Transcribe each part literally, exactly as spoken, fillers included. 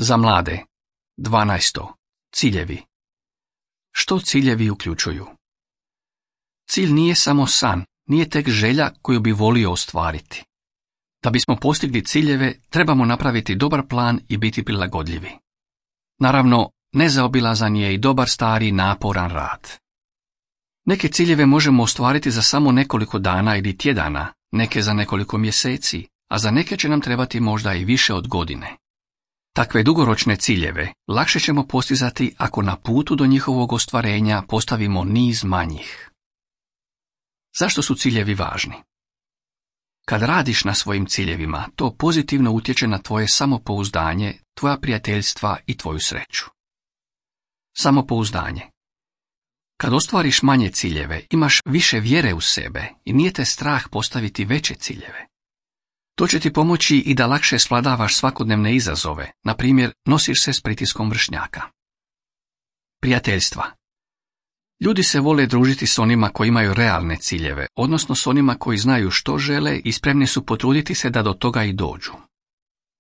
Za mlade. dvanaesto. Ciljevi. Što ciljevi uključuju? Cilj nije samo san, nije tek želja koju bi volio ostvariti. Da bismo postigli ciljeve, trebamo napraviti dobar plan i biti prilagodljivi. Naravno, nezaobilazan je i dobar stari naporan rad. Neke ciljeve možemo ostvariti za samo nekoliko dana ili tjedana, neke za nekoliko mjeseci, a za neke će nam trebati možda i više od godine. Takve dugoročne ciljeve lakše ćemo postizati ako na putu do njihovog ostvarenja postavimo niz manjih. Zašto su ciljevi važni? Kad radiš na svojim ciljevima, to pozitivno utječe na tvoje samopouzdanje, tvoja prijateljstva i tvoju sreću. Samopouzdanje. Kad ostvariš manje ciljeve, imaš više vjere u sebe i nije te strah postaviti veće ciljeve. To će ti pomoći i da lakše svladavaš svakodnevne izazove, na primjer nosiš se s pritiskom vršnjaka. Prijateljstva. Ljudi se vole družiti s onima koji imaju realne ciljeve, odnosno s onima koji znaju što žele i spremni su potruditi se da do toga i dođu.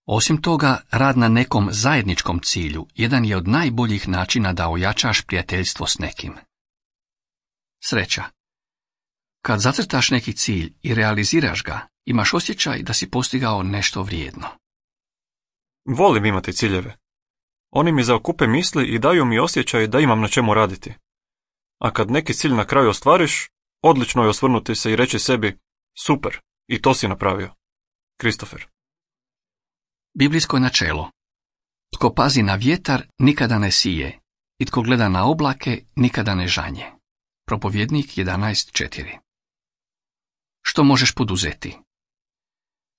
Osim toga, rad na nekom zajedničkom cilju jedan je od najboljih načina da ojačaš prijateljstvo s nekim. Sreća. Kad zacrtaš neki cilj i realiziraš ga, imaš osjećaj da si postigao nešto vrijedno. Volim imati ciljeve. Oni mi zaokupe misli i daju mi osjećaj da imam na čemu raditi. A kad neki cilj na kraju ostvariš, odlično je osvrnuti se i reći sebi, super, i to si napravio. Kristofer. Biblijsko načelo. Tko pazi na vjetar, nikada ne sije, i tko gleda na oblake, nikada ne žanje. Propovjednik jedanaest četiri. Što možeš poduzeti?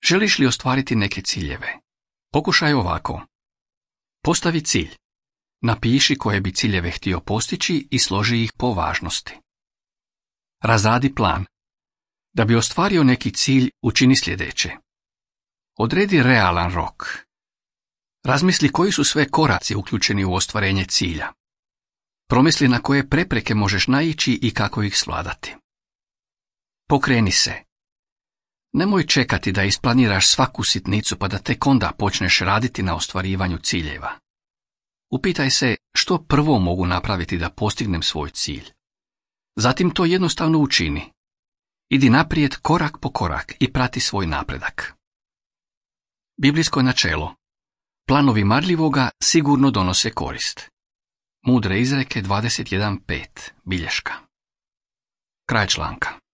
Želiš li ostvariti neke ciljeve? Pokušaj ovako. Postavi cilj. Napiši koje bi ciljeve htio postići i složi ih po važnosti. Razradi plan. Da bi ostvario neki cilj, učini sljedeće. Odredi realan rok. Razmisli koji su sve koraci uključeni u ostvarenje cilja. Promisli na koje prepreke možeš naići i kako ih svladati. Pokreni se. Nemoj čekati da isplaniraš svaku sitnicu pa da tek onda počneš raditi na ostvarivanju ciljeva. Upitaj se što prvo mogu napraviti da postignem svoj cilj. Zatim to jednostavno učini. Idi naprijed korak po korak i prati svoj napredak. Biblijsko načelo. Planovi marljivoga sigurno donose korist. Mudre izreke dvadeset jedan pet. Bilješka. Kraj članka.